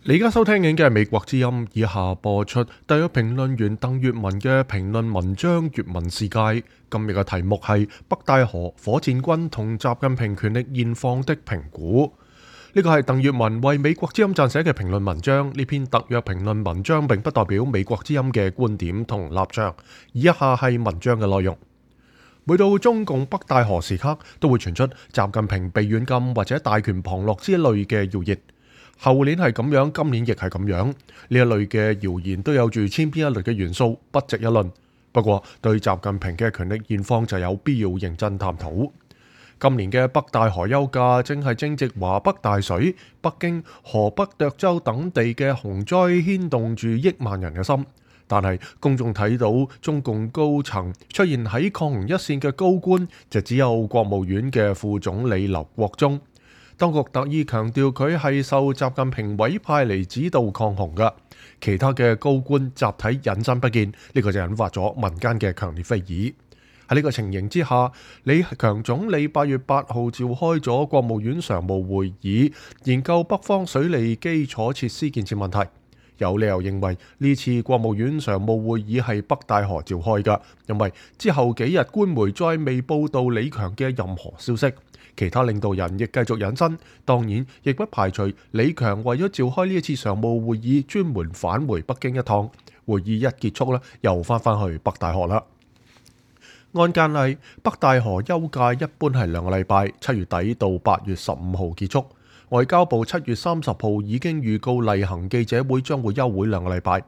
你而家收聽緊嘅係美國之音，以下播出特約評論員鄧粵文嘅評論文章《粵文世界》。今日嘅題目係北戴河火箭軍同習近平權力現況的評估。呢個係鄧粵文為美國之音撰寫嘅評論文章。呢篇特約評論文章並不代表美國之音嘅觀點同立場。以下係文章嘅內容。每到中共北戴河時刻，都會傳出習近平被軟禁或者大權旁落之類嘅謠言。後年係咁樣，今年亦係咁樣。呢一類嘅謠言都有住千篇一律嘅元素，不值一論。不過對習近平嘅權力現況就有必要認真探討。今年嘅北戴河休假正係正值華北大水，北京、河北涿州等地嘅洪災牽動住億萬人嘅心。但係公眾睇到中共高層出現喺抗洪一線嘅高官，就只有國務院嘅副總理劉國中。當局特意強調佢係受習近平委派嚟指導抗洪嘅，其他嘅高官集體隱身不見，呢個就引發咗民間嘅強烈非議。喺呢個情形之下，李強總理8月8號召開咗國務院常務會議，研究北方水利基礎設施建設問題。有理由認為呢次國務院常務會議係北戴河召開嘅，因為之後幾日官媒再未報道李強嘅任何消息。其他領導人亦繼續隱身，當然亦不排除李強為咗召開呢一次常務會議，專門返回北京一趟。會議一結束咧，又翻去北戴河啦。按慣例，北戴河休假一般係2個禮拜，7月底到8月15號結束。外交部7月30號已經預告例行記者會將會休會2個禮拜。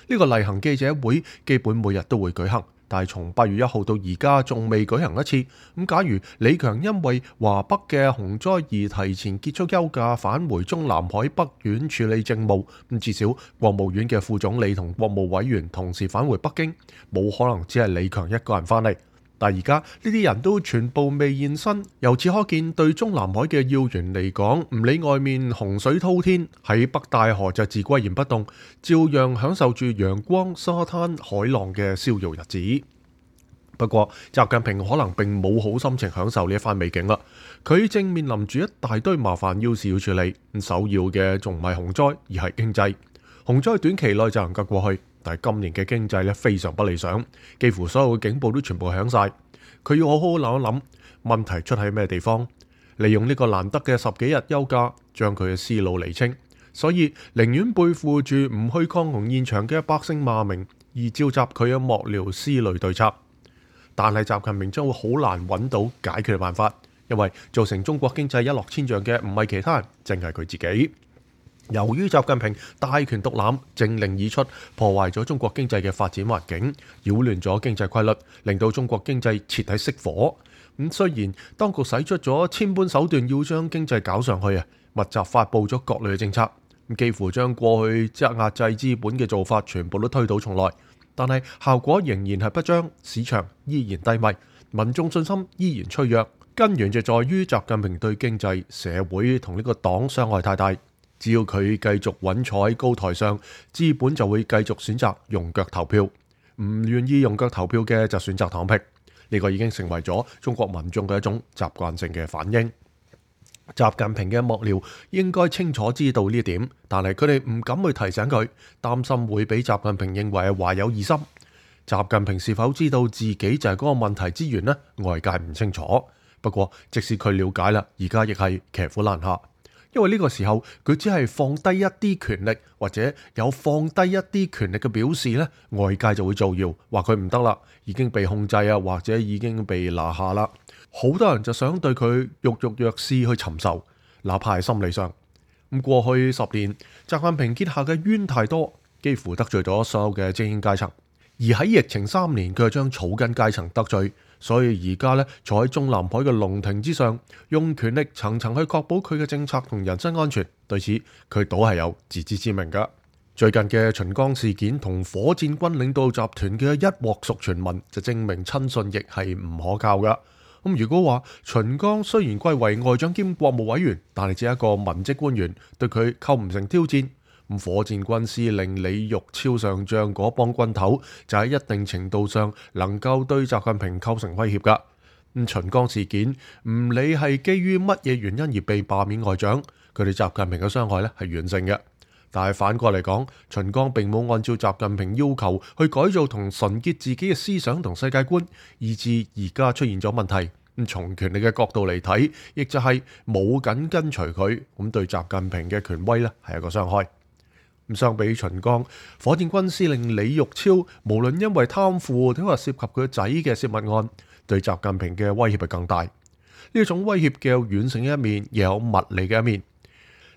呢個例行記者會基本每日都會舉行。但係從8月1號到而家仲未舉行一次。咁假如李強因為華北嘅洪災而提前結束休假，返回中南海北院處理政務，咁至少國務院嘅副總理同國務委員同時返回北京，冇可能只係李強一個人返嚟。但而家呢啲人都全部未現身，由此可見，對中南海嘅要員嚟講，唔理外面洪水滔天，喺北戴河就自巋然不動，照樣享受住陽光、沙灘、海浪嘅逍遙日子。不過習近平可能並冇好心情享受呢一番美景啦，佢正面臨住一大堆麻煩要事要處理。首要嘅仲唔係洪災，而係經濟。洪災短期內就能夠過去。但係今年嘅經濟非常不理想，幾乎所有嘅警報都全部響晒。佢要好好諗一諗，問題出喺咩地方？利用呢個難得嘅10幾日休假，將佢嘅思路釐清。所以寧願背負住唔去抗洪現場嘅百姓罵名，而召集佢嘅幕僚思慮對策。但係習近平將會好難揾到解決嘅辦法，因為造成中國經濟一落千丈嘅唔係其他人，淨係佢自己。由於習近平大權獨攬，政令已出，破壞咗中國經濟嘅發展環境，擾亂咗經濟規律，令到中國經濟徹底熄火。雖然當局使出咗千般手段要將經濟搞上去啊，密集發布咗各類嘅政策，幾乎將過去壓制資本嘅做法全部都推倒重來，但係效果仍然係不彰，市場依然低迷，民眾信心依然脆弱。根源就在於習近平對經濟、社會同呢個黨傷害太大。只要佢繼續穩坐喺高台上，資本就會繼續選擇用腳投票，唔願意用腳投票嘅就選擇躺平。呢個已經成為咗中國民眾嘅一種習慣性嘅反應。習近平嘅幕僚應該清楚知道呢一點，但係佢哋唔敢去提醒佢，擔心會俾習近平認為係懷有異心。習近平是否知道自己就係嗰個問題之源呢？外界唔清楚。不過即使佢了解啦，而家亦係騎虎難下。因為呢個時候佢只係放低一啲權力，或者有放低一啲權力嘅表示呢，外界就會造謠話佢唔得啦，已經被控制啊，或者已經被拿下啦。好多人就想對佢肉肉弱肆去尋仇，哪怕係心理上。過去10年，習近平結下嘅冤太多，幾乎得罪咗所有嘅精英階層。而喺疫情3年，佢就將草根階層得罪。所以而家咧，坐喺中南海嘅龍庭之上，用權力層層去確保佢嘅政策同人身安全。對此，佢倒係有自知之明噶。最近嘅秦剛事件同火箭軍領導集團嘅一鑊熟傳聞，就證明親信亦係唔可靠噶。如果話秦剛雖然貴為外長兼國務委員，但係只係一個文職官員，對佢構唔成挑戰。火箭軍司令李玉超上將嗰幫軍頭就喺一定程度上能夠對習近平構成威脅噶。秦剛事件唔理係基於乜嘢原因而被罷免外長，佢對習近平嘅傷害咧係完勝嘅。但係反過嚟講，秦剛並冇按照習近平要求去改造同純潔自己嘅思想同世界觀，以致而家出現咗問題。咁從權力嘅角度嚟睇，亦就係冇緊跟隨佢，咁對習近平嘅權威呢係一個傷害。咁相比秦剛，火箭軍司令李玉超，無論因為貪腐，定係涉及佢仔嘅泄密案，對習近平嘅威脅係更大。呢種威脅既有軟性嘅一面，亦有物理嘅一面。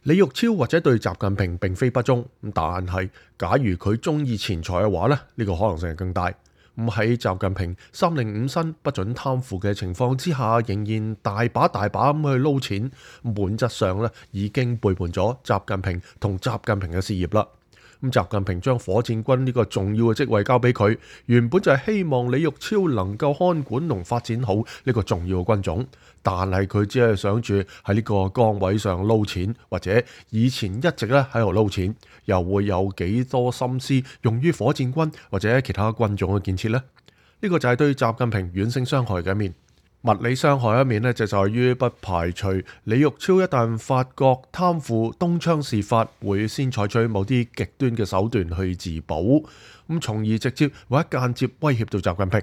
李玉超或者對習近平並非不忠，但係假如佢中意錢財嘅話咧，呢個可能性係更大。咁喺習近平305申不准貪腐嘅情況之下，仍然大把咁去撈錢，本質上咧已經背叛咗習近平同習近平嘅事業啦。咁習近平將火箭軍呢個重要嘅職位交俾佢，原本就係希望李玉超能夠看管同發展好呢個重要嘅軍種，但係佢只係想住喺呢個崗位上撈錢，或者以前一直咧喺度撈錢，又會有幾多心思用於火箭軍或者其他軍種嘅建設呢？呢個就係對習近平軟性傷害嘅一面。物理傷害一面呢，就在於不排除李玉超一旦發覺貪腐東窗事發，會先採取某啲極端嘅手段去自保，咁從而直接或者間接威脅到習近平。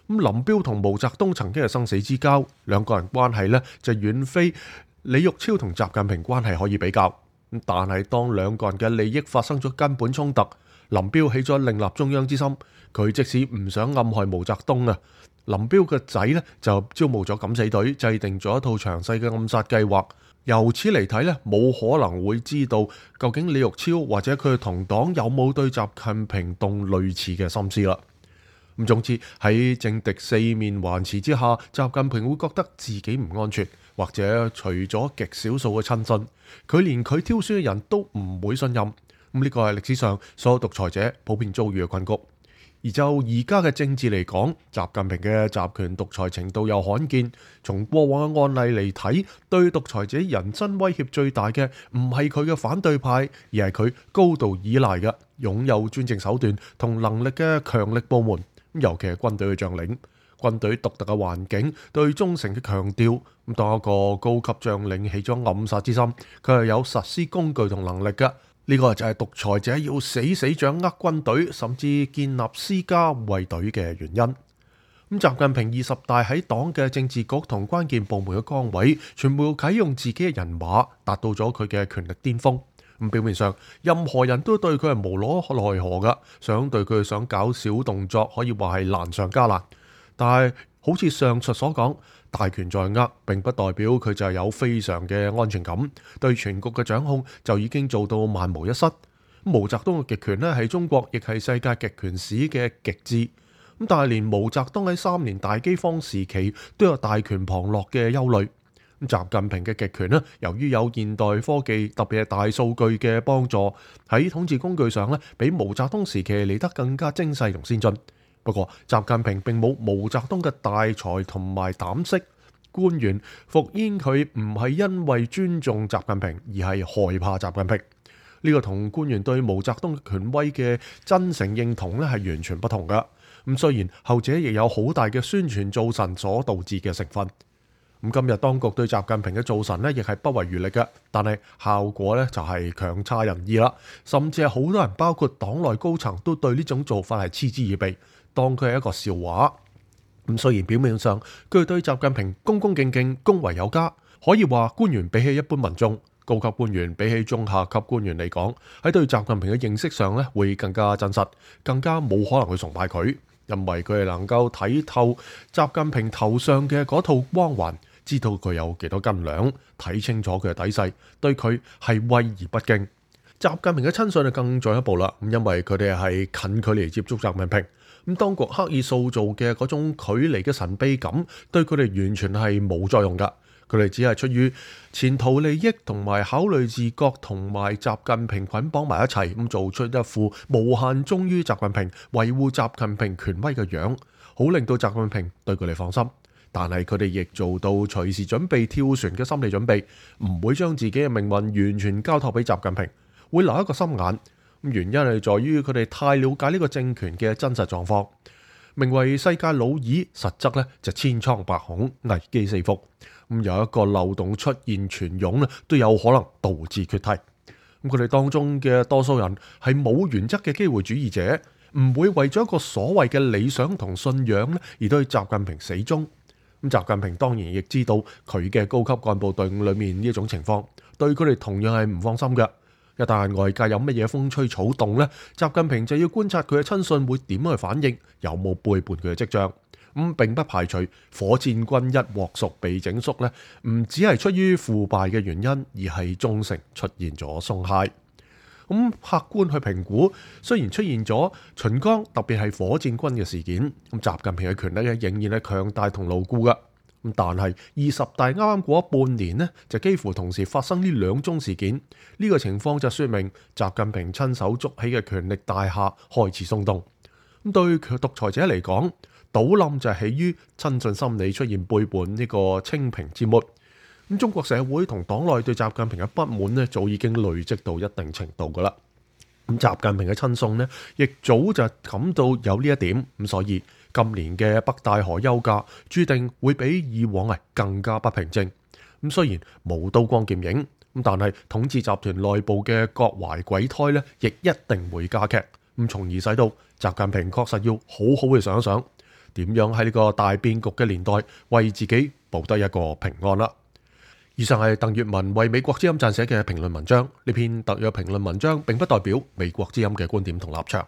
咁林彪同毛澤東曾經係生死之交，兩個人關係呢，就遠非李玉超同習近平關係可以比較。但係當兩個人嘅利益發生咗根本衝突，林彪起咗另立中央之心，佢即使唔想暗害毛澤東啊，林彪嘅仔呢就招募咗敢死隊，制定咗一套詳細嘅暗殺計劃。由此嚟睇呢，冇可能會知道究竟李玉超或者佢嘅同黨有冇對習近平動類似嘅心思啦。咁總之喺政敵四面環持之下，習近平會覺得自己唔安全，或者除咗極少數嘅親信，佢連佢挑選嘅人都唔會信任。咁呢個係歷史上所有獨裁者普遍遭遇嘅困局。而就而家嘅政治嚟講，習近平嘅集權獨裁程度又罕見。從過往嘅案例嚟睇，對獨裁者人身威脅最大嘅唔係佢嘅反對派，而係佢高度依賴嘅擁有專政手段同能力嘅強力部門，尤其係軍隊嘅將領。軍隊獨特嘅環境對忠誠嘅強調，咁當一個高級將領起咗暗殺之心，佢係有實施工具同能力嘅。呢個就係獨裁者要死掌握軍隊，甚至建立私家衛隊嘅原因。咁習近平20大喺黨嘅政治局同關鍵部門嘅崗位，全部啟用自己嘅人馬，達到咗佢嘅權力巔峰。咁表面上，任何人都對佢係無可奈何噶，想對佢想搞小動作，可以話係難上加難。但係好似上述所講，大權在握，並不代表佢就係有非常嘅安全感，對全局嘅掌控就已經做到萬無一失。毛澤東嘅極權呢，係中國亦係世界極權史嘅極致。咁但係連毛澤東喺3年大饑荒時期都有大權旁落嘅憂慮。咁習近平嘅極權呢，由於有現代科技，特別係大數據嘅幫助，喺統治工具上呢，比毛澤東時期嚟得更加精細同先進。不過，習近平並冇毛澤東嘅大才同埋膽識，官員服膺佢唔係因為尊重習近平，而係害怕習近平。呢個同官員對毛澤東權威嘅真誠認同咧係完全不同㗎。咁雖然後者亦有好大嘅宣傳造神所導致嘅成分。咁今日當局對習近平嘅造神咧，亦係不遺餘力嘅，但係效果咧就係強差人意啦。甚至係好多人，包括黨內高層，都對呢種做法係嗤之以鼻，當佢係一個笑話。咁雖然表面上佢對習近平恭恭敬敬、恭維有加，可以話官員比起一般民眾，高級官員比起中下級官員嚟講，喺對習近平嘅認識上咧會更加真實，更加冇可能去崇拜佢，因為佢係能夠睇透習近平頭上嘅嗰套光環，知道佢有幾多斤兩，睇清楚佢嘅底細，對佢係畏而不敬。習近平嘅親信就更進一步啦，咁因為佢哋係近距離接觸習近平，咁當局刻意塑造嘅嗰種距離嘅神秘感，對佢哋完全係冇作用噶。佢哋只係出於前途利益同埋考慮自覺同埋習近平捆綁埋一齊，咁做出一副無限忠於習近平、維護習近平權威嘅樣，好令到習近平對佢哋放心。但係佢哋亦做到隨時準備跳船嘅心理準備，唔會將自己嘅命運完全交託俾習近平，會留一個心眼。原因係在於佢哋太了解呢個政權嘅真實狀況。名為世界老二，實則咧就千瘡百孔、危機四伏。有一個漏洞出現全湧咧，都有可能導致決堤。咁佢哋當中嘅多數人係冇原則嘅機會主義者，唔會為咗一個所謂嘅理想同信仰咧而對習近平死忠。咁習近平當然亦知道佢嘅高級幹部隊伍裏面呢一種情況，對佢哋同樣係唔放心嘅。一旦外界有乜嘢風吹草動呢，習近平就要觀察佢嘅親信會點樣去反應，有冇背叛佢嘅跡象。並不排除火箭軍一鑊熟被整肅呢，唔只係出於腐敗嘅原因，而係忠誠出現咗鬆懈。客觀去評估，雖然出現咗秦剛特別係火箭軍嘅事件，習近平嘅權力咧仍然係強大同牢固嘅。但係20大啱啱過咗半年呢，就幾乎同時發生呢兩宗事件，呢個情況就說明習近平親手築起嘅權力大廈開始鬆動。對獨裁者嚟講，倒冧就係起於親信心理出現背叛呢個清平之末。中國社會同黨內對習近平嘅不滿呢，早已經累積到一定程度噶啦。習近平嘅親信呢，亦早就感到有呢一點，所以今年嘅北戴河休假注定會比以往係更加不平靜。雖然冇刀光劍影，但係統治集團內部嘅各懷鬼胎呢，亦一定會加劇。從而使到習近平確實要好好去想一想，點樣喺呢個大變局嘅年代為自己保得一個平安啦。以上係鄧粵文為美國之音撰寫嘅評論文章，呢篇特約評論文章並不代表美國之音嘅觀點同立場。